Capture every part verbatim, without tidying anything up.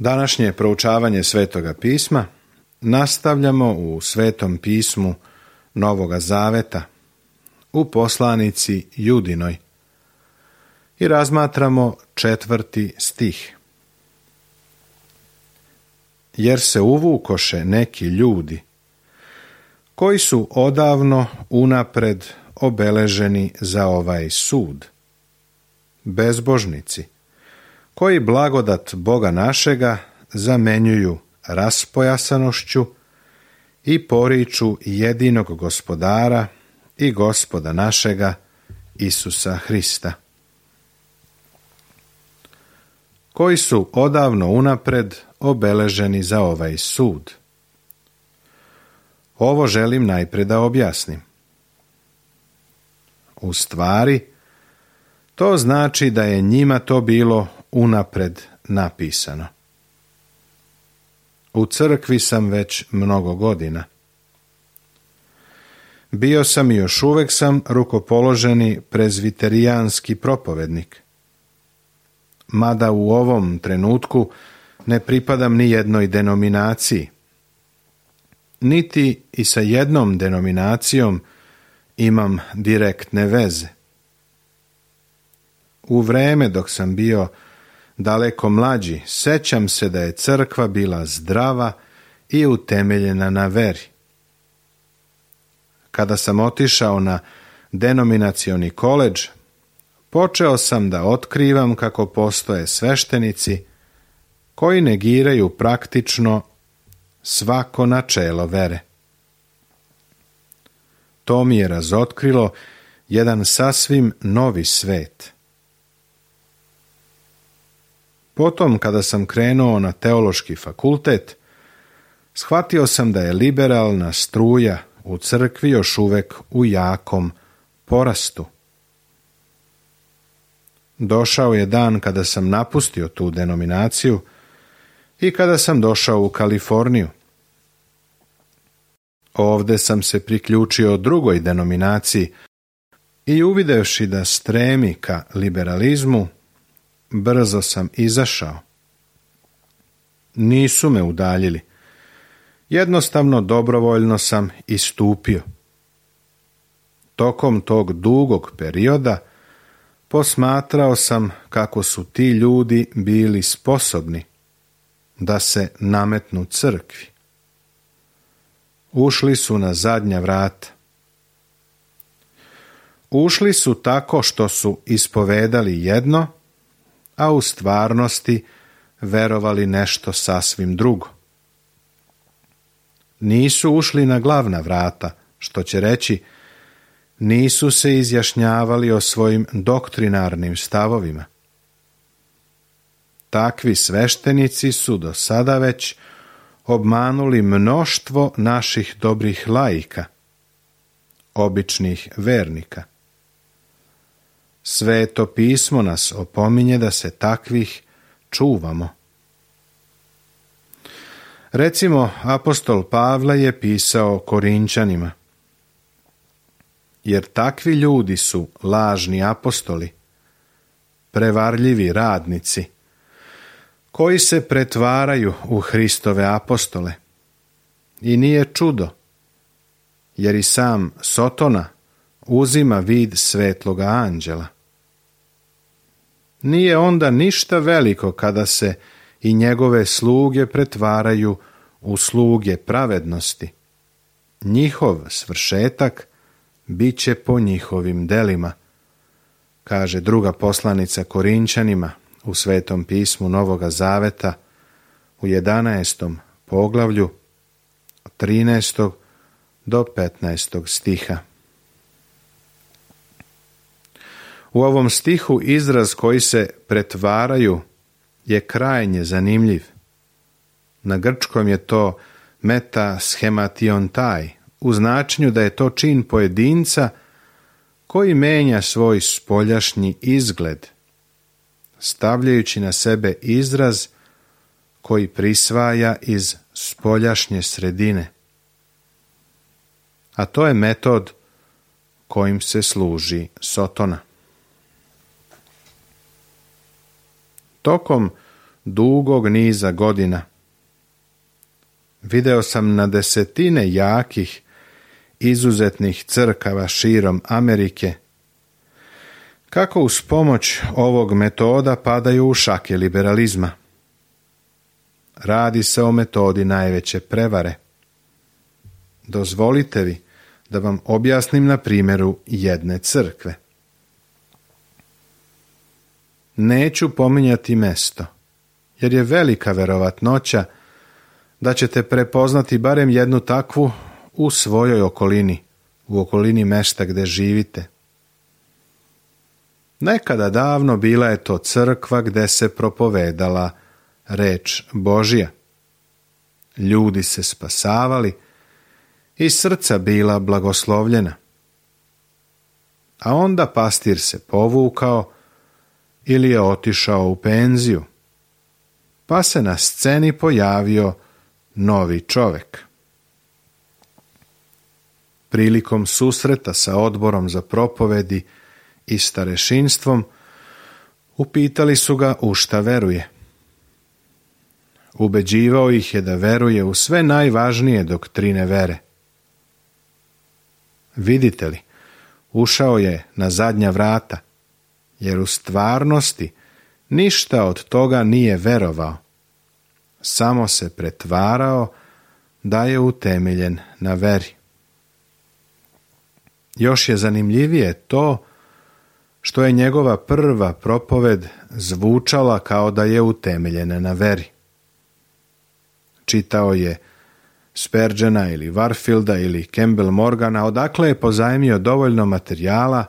Današnje proučavanje Svetoga pisma nastavljamo u Svetom pismu Novoga Zaveta, u poslanici Judinoj, i razmatramo četvrti stih. Jer se uvukoše neki ljudi, koji su odavno unapred obeleženi za ovaj sud, bezbožnici, koji blagodat Boga našega zamenjuju raspojasanošću i poriču jedinog Gospodara i Gospoda našega Isusa Hrista, koji su odavno unapred obeleženi za ovaj sud. Ovo želim najpred da objasnim. U stvari, to znači da je njima to bilo unapred napisano. U crkvi sam već mnogo godina. Bio sam i još uvek sam rukopoloženi prezviterijanski propovednik. Mada u ovom trenutku ne pripadam ni jednoj denominaciji, niti i sa jednom denominacijom imam direktne veze. U vreme dok sam bio daleko mlađi, sećam se da je crkva bila zdrava i utemeljena na veri. Kada sam otišao na denominacioni koledž, počeo sam da otkrivam kako postoje sveštenici koji negiraju praktično svako načelo vere. To mi je razotkrilo jedan sasvim novi svet. Potom, kada sam krenuo na teološki fakultet, shvatio sam da je liberalna struja u crkvi još uvek u jakom porastu. Došao je dan kada sam napustio tu denominaciju i kada sam došao u Kaliforniju. Ovde sam se priključio drugoj denominaciji i uvidevši da stremi ka liberalizmu, brzo sam izašao. Nisu me udaljili. Jednostavno dobrovoljno sam istupio. Tokom tog dugog perioda posmatrao sam kako su ti ljudi bili sposobni da se nametnu crkvi. Ušli su na zadnja vrata. Ušli su tako što su ispovedali jedno, a u stvarnosti verovali nešto sasvim drugo. Nisu ušli na glavna vrata, što će reći, nisu se izjašnjavali o svojim doktrinarnim stavovima. Takvi sveštenici su do sada već obmanuli mnoštvo naših dobrih laika, običnih vernika. Sveto pismo nas opominje da se takvih čuvamo. Recimo, apostol Pavle je pisao Korinčanima: jer takvi ljudi su lažni apostoli, prevarljivi radnici, koji se pretvaraju u Hristove apostole. I nije čudo, jer i sam Sotona uzima vid svetloga anđela. Nije onda ništa veliko kada se i njegove sluge pretvaraju u sluge pravednosti. Njihov svršetak bit će po njihovim delima, kaže druga poslanica Korinčanima u Svetom pismu Novoga Zaveta u jedanaestom poglavlju od trinaestog do petnaestog stiha. U ovom stihu izraz koji se pretvaraju je krajnje zanimljiv. Na grčkom je to metaschemationtai, u značenju da je to čin pojedinca koji menja svoj spoljašnji izgled, stavljajući na sebe izraz koji prisvaja iz spoljašnje sredine. A to je metod kojim se služi Sotona. Tokom dugog niza godina. Video sam na desetine jakih, izuzetnih crkava širom Amerike, kako uz pomoć ovog metoda padaju u šake liberalizma. Radi se o metodi najveće prevare. Dozvolite vi da vam objasnim na primjeru jedne crkve. Neću pominjati mesto, jer je velika verovatnoća da ćete prepoznati barem jednu takvu u svojoj okolini, u okolini mesta gdje živite. Nekada davno bila je to crkva gdje se propovedala reč Božja. Ljudi se spasavali i srca bila blagoslovljena. A onda pastir se povukao ili je otišao u penziju, pa se na sceni pojavio novi čovjek. Prilikom susreta sa odborom za propovedi i starešinstvom upitali su ga u šta veruje. Ubeđivao ih je da veruje u sve najvažnije doktrine vere. Vidite li, ušao je na zadnja vrata, jer u stvarnosti ništa od toga nije verovao. Samo se pretvarao da je utemeljen na veri. Još je zanimljivije to što je njegova prva propoved zvučala kao da je utemeljena na veri. Čitao je Spurgeona ili Warfielda ili Campbell Morgana, odakle je pozajmio dovoljno materijala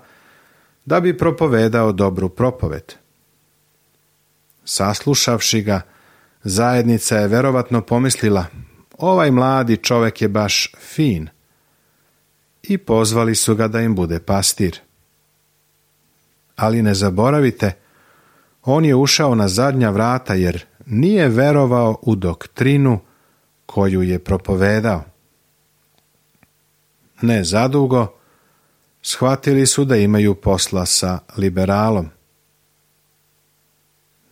da bi propovedao dobru propoved. Saslušavši ga, zajednica je verovatno pomislila, ovaj mladi čovjek je baš fin, i pozvali su ga da im bude pastir. Ali ne zaboravite, on je ušao na zadnja vrata jer nije verovao u doktrinu koju je propovedao. Ne zadugo, shvatili su da imaju posla sa liberalom.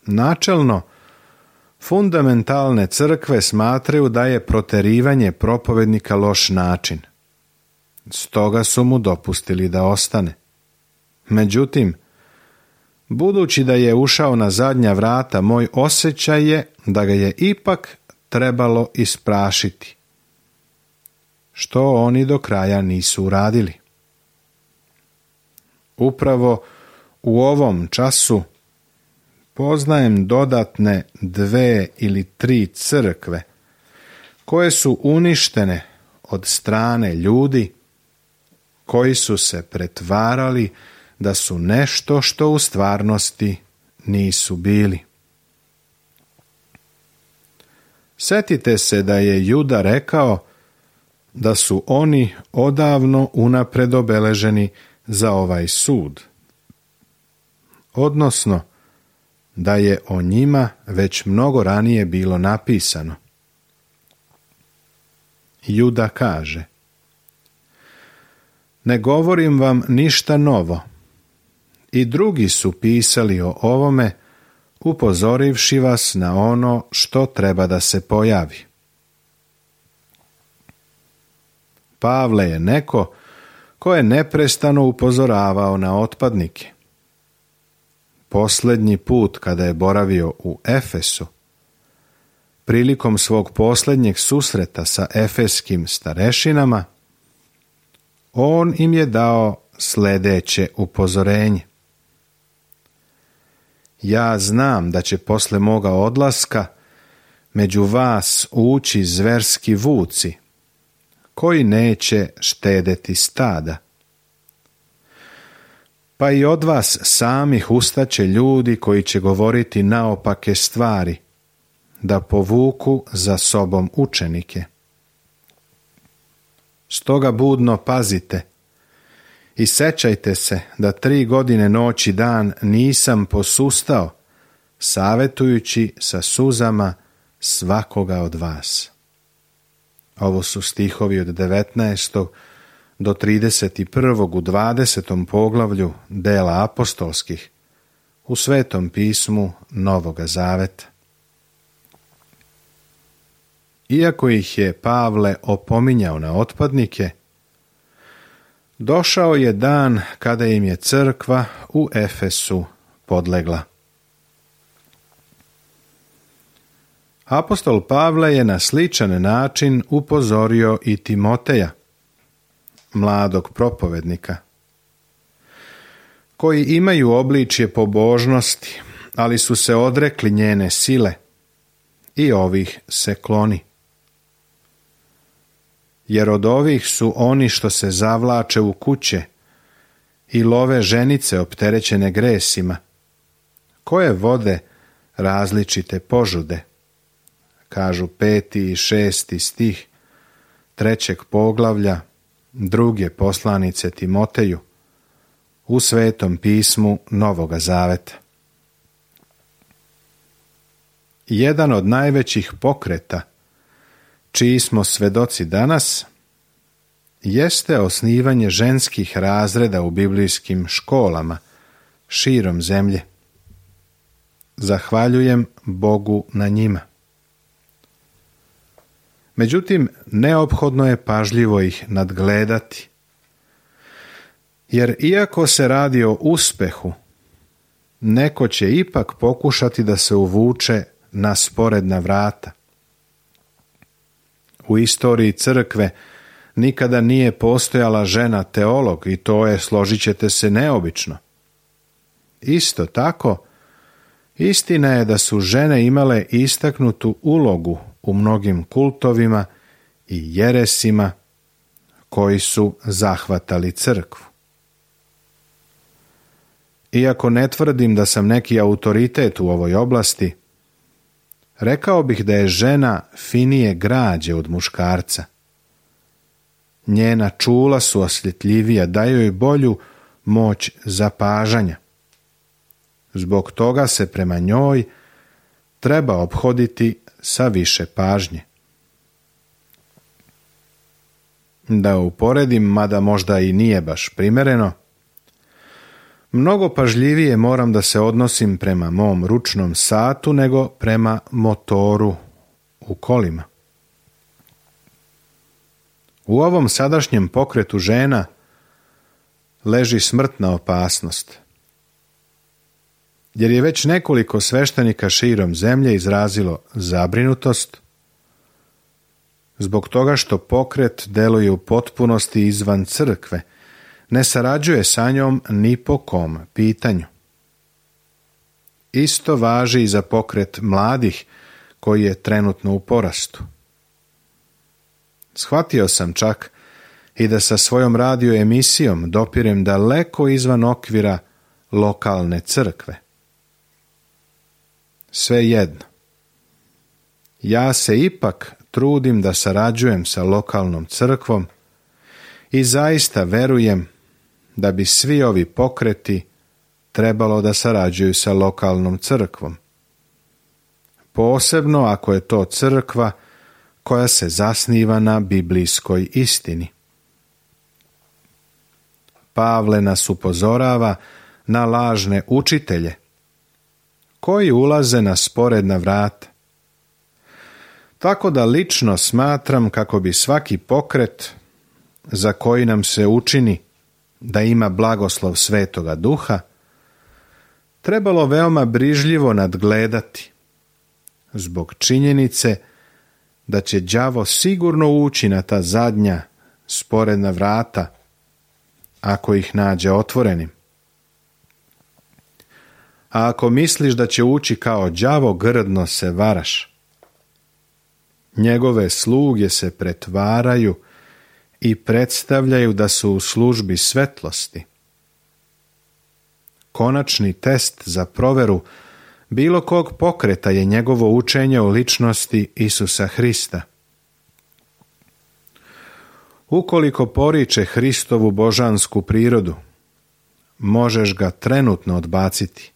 Načelno, fundamentalne crkve smatraju da je proterivanje propovednika loš način. Stoga su mu dopustili da ostane. Međutim, budući da je ušao na zadnja vrata, moj osjećaj je da ga je ipak trebalo isprašiti, što oni do kraja nisu uradili. Upravo u ovom času poznajem dodatne dve ili tri crkve koje su uništene od strane ljudi koji su se pretvarali da su nešto što u stvarnosti nisu bili. Sjetite se da je Juda rekao da su oni odavno unapred obeleženi za ovaj sud, odnosno da je o njima već mnogo ranije bilo napisano. Juda kaže: ne govorim vam ništa novo, i drugi su pisali o ovome, upozorivši vas na ono što treba da se pojavi. Pavle je neko ko je neprestano upozoravao na otpadnike. Posljednji put kada je boravio u Efesu, prilikom svog posljednjeg susreta sa efeskim starešinama, on im je dao sljedeće upozorenje. Ja znam da će posle moga odlaska među vas ući zverski vuci, koji neće štedeti stada. Pa i od vas samih ustaće ljudi koji će govoriti naopake stvari, da povuku za sobom učenike. Stoga budno pazite i sećajte se da tri godine noć i dan nisam posustao, savjetujući sa suzama svakoga od vas. Ovo su stihovi od devetnaestog do trideset prvog u dvadesetom poglavlju dela apostolskih u Svetom pismu Novoga zaveta. iako ih je Pavle opominjao na otpadnike, došao je dan kada im je crkva u Efesu podlegla. Apostol Pavle je na sličan način upozorio i Timoteja, mladog propovednika, koji imaju obličje pobožnosti, ali su se odrekli njene sile, i ovih se kloni. Jer od ovih su oni što se zavlače u kuće i love ženice opterećene gresima, koje vode različite požude, kažu peti i šesti stih trećeg poglavlja druge poslanice Timoteju u Svetom pismu Novoga Zaveta. Jedan od najvećih pokreta, čiji smo svedoci danas, jeste osnivanje ženskih razreda u biblijskim školama širom zemlje. Zahvaljujem Bogu na njima. Međutim, neophodno je pažljivo ih nadgledati, jer iako se radi o uspehu, neko će ipak pokušati da se uvuče na sporedna vrata. U istoriji crkve nikada nije postojala žena teolog i to je, složit ćete se, neobično. Isto tako, istina je da su žene imale istaknutu ulogu u mnogim kultovima i jeresima koji su zahvatali crkvu. Iako ne tvrdim da sam neki autoritet u ovoj oblasti, rekao bih da je žena finije građe od muškarca. Njena čula su osjetljivija, daju joj bolju moć zapažanja. Zbog toga se prema njoj treba ophoditi sa više pažnje. Da uporedim, mada možda i nije baš primereno, mnogo pažljivije moram da se odnosim prema mom ručnom satu nego prema motoru u kolima. U ovom sadašnjem pokretu žena leži smrtna opasnost, jer je već nekoliko sveštenika širom zemlje izrazilo zabrinutost zbog toga što pokret deluje u potpunosti izvan crkve, ne sarađuje sa njom ni po kom pitanju. Isto važi i za pokret mladih koji je trenutno u porastu. Shvatio sam čak i da sa svojom radio emisijom dopirem daleko izvan okvira lokalne crkve. Svejedno, ja se ipak trudim da sarađujem sa lokalnom crkvom i zaista verujem da bi svi ovi pokreti trebalo da sarađuju sa lokalnom crkvom. Posebno ako je to crkva koja se zasniva na biblijskoj istini. Pavle nas upozorava na lažne učitelje koji ulaze na sporedna vrata. Tako da lično smatram kako bi svaki pokret za koji nam se učini da ima blagoslov Svetoga Duha trebalo veoma brižljivo nadgledati, zbog činjenice da će đavo sigurno ući na ta zadnja sporedna vrata ako ih nađe otvorenim. A ako misliš da će ući kao đavo, grdno se varaš. Njegove sluge se pretvaraju i predstavljaju da su u službi svetlosti. Konačni test za proveru bilo kog pokreta je njegovo učenje o ličnosti Isusa Hrista. Ukoliko poriče Hristovu božansku prirodu, možeš ga trenutno odbaciti.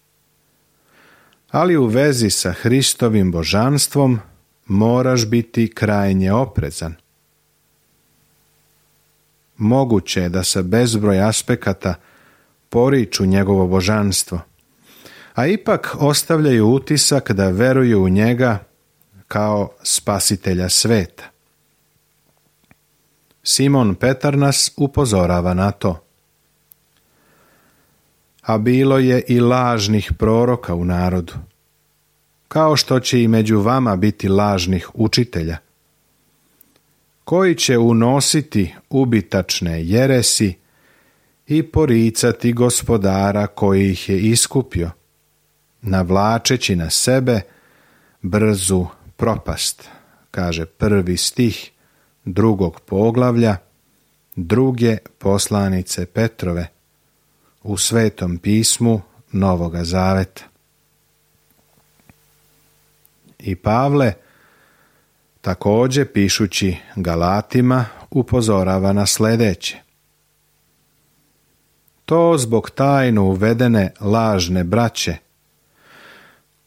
Ali u vezi sa Hristovim božanstvom moraš biti krajnje oprezan. Moguće je da sa bezbroj aspekata poriču njegovo božanstvo, a ipak ostavljaju utisak da veruju u njega kao spasitelja sveta. Simon Petar nas upozorava na to. A bilo je i lažnih proroka u narodu, kao što će i među vama biti lažnih učitelja, koji će unositi ubitačne jeresi i poricati Gospodara koji ih je iskupio, navlačeći na sebe brzu propast, kaže prvi stih drugog poglavlja druge poslanice Petrove u Svetom pismu Novoga Zaveta. I Pavle, također pišući Galatima, upozorava na sljedeće. To zbog tajno uvedene lažne braće,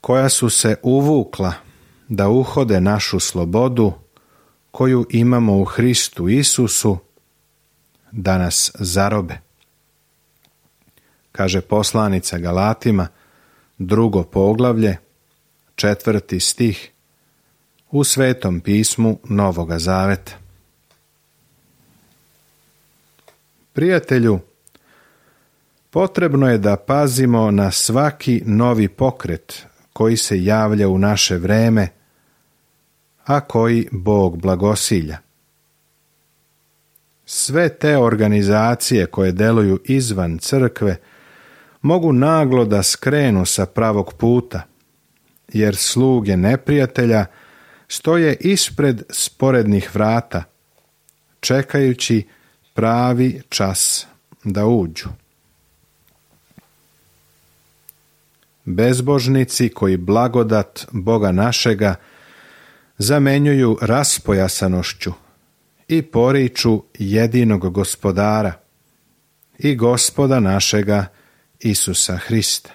koja su se uvukla da uhode našu slobodu, koju imamo u Hristu Isusu, da nas zarobe. Kaže poslanica Galatima, drugo poglavlje, četvrti stih, u Svetom pismu Novoga Zaveta. Prijatelju, potrebno je da pazimo na svaki novi pokret koji se javlja u naše vreme, a koji Bog blagosilja. Sve te organizacije koje deluju izvan crkve mogu naglo da skrenu sa pravog puta, jer sluge neprijatelja stoje ispred sporednih vrata, čekajući pravi čas da uđu. Bezbožnici koji blagodat Boga našega zamenjuju raspojasanošću i poriču jedinog Gospodara i Gospoda našega Isusa Hrista.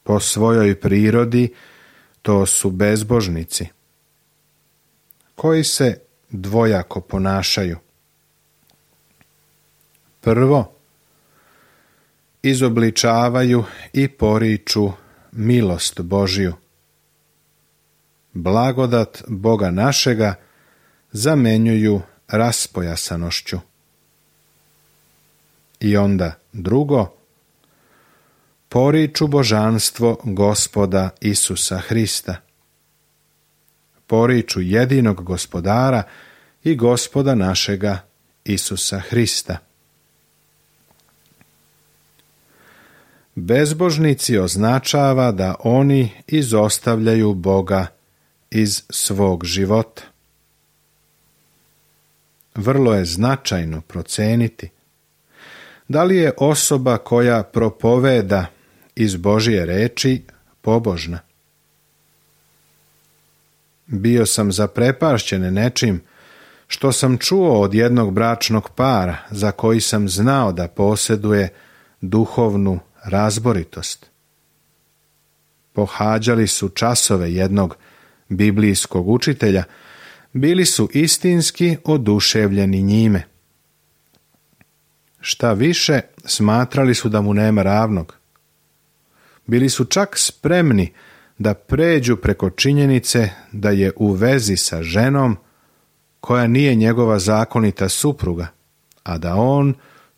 Po svojoj prirodi to su bezbožnici, koji se dvojako ponašaju. Prvo, izobličavaju i poriču milost Božju. Blagodat Boga našega zamenjuju raspojasanošću. I onda drugo, poriču božanstvo Gospoda Isusa Hrista. Poriču jedinog Gospodara i Gospoda našega Isusa Hrista. Bezbožnici označava da oni izostavljaju Boga iz svog života. Vrlo je značajno proceniti da li je osoba koja propoveda iz Božje reči pobožna. Bio sam zaprepašćen nečim što sam čuo od jednog bračnog para za koji sam znao da posjeduje duhovnu razboritost. Pohađali su časove jednog biblijskog učitelja, bili su istinski oduševljeni njime. Šta više, smatrali su da mu nema ravnog. Bili su čak spremni da pređu preko činjenice da je u vezi sa ženom koja nije njegova zakonita supruga, a da on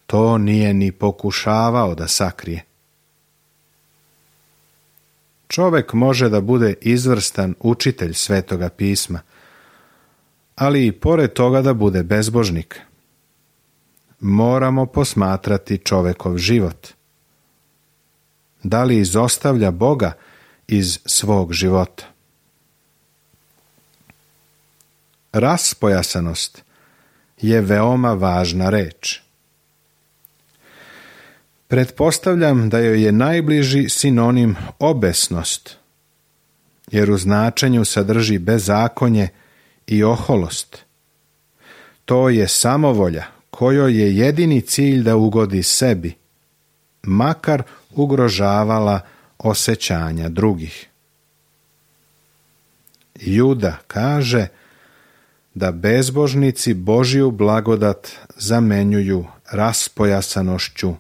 to nije ni pokušavao da sakrije. Čovjek može da bude izvrstan učitelj Svetoga pisma, ali i pored toga da bude bezbožnik. Moramo posmatrati čovjekov život. Da li izostavlja Boga iz svog života? Raspojasanost je veoma važna reč. Pretpostavljam da joj je najbliži sinonim obesnost, jer u značenju sadrži bezakonje i oholost. To je samovolja kojoj je jedini cilj da ugodi sebi, makar ugrožavala osjećanja drugih. Juda kaže da bezbožnici Božju blagodat zamenjuju raspojasanošću,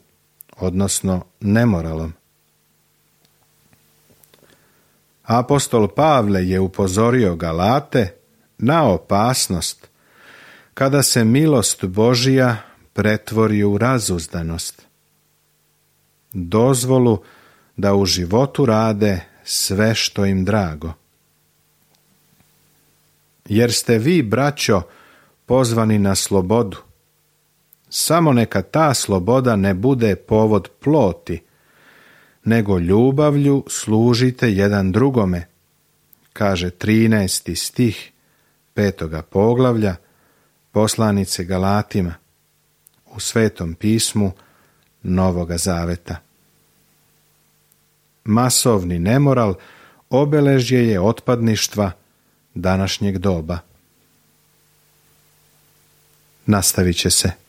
odnosno nemoralom. Apostol Pavle je upozorio Galate na opasnost kada se milost Božija pretvori u razuzdanost, dozvolu da u životu rade sve što im drago. Jer ste vi, braćo, pozvani na slobodu. Samo neka ta sloboda ne bude povod ploti, nego ljubavlju služite jedan drugome, kaže trinaesti stih petoga poglavlja poslanice Galatima u Svetom pismu Novoga Zaveta. Masovni nemoral obeležje je otpadništva današnjeg doba. Nastavit će se.